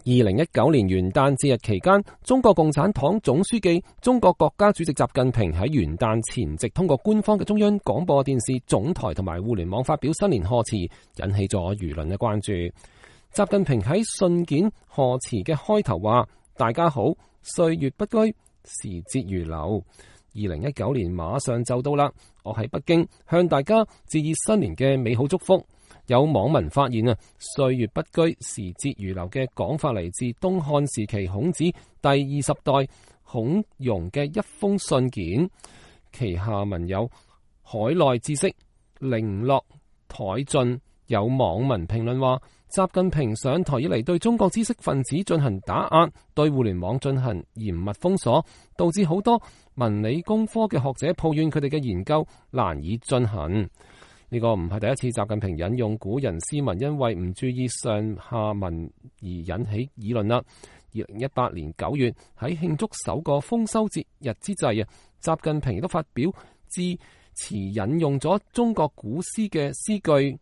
2019年元旦節日期間，中國共產黨總書記、中國國家主席習近平喺元旦前夕通過官方嘅中央廣播電視總台同埋互聯網發表新年賀詞，引起咗輿論嘅關注。習近平喺信件賀詞嘅開頭話：大家好，歲月不居，時節如流。2019年馬上就到啦，我喺北京向大家致以新年嘅美好祝福。有網民發現歲月不居，時節如流嘅講法嚟自東漢時期孔子第20代孔融嘅一封信件，其下文有海內知識，零落殆盡。有網民評論話，習近平上台以嚟對中國知識分子進行打壓，對互聯網進行嚴密封鎖，導致好多文理工科嘅學者抱怨佢哋嘅研究難以進行。呢個唔係第一次習近平引用古人詩文，因為唔注意上下文而引起議論啦。2018年9月喺慶祝首個豐收節日之際習近平亦都發表致辭，引用咗中國古詩嘅詩句：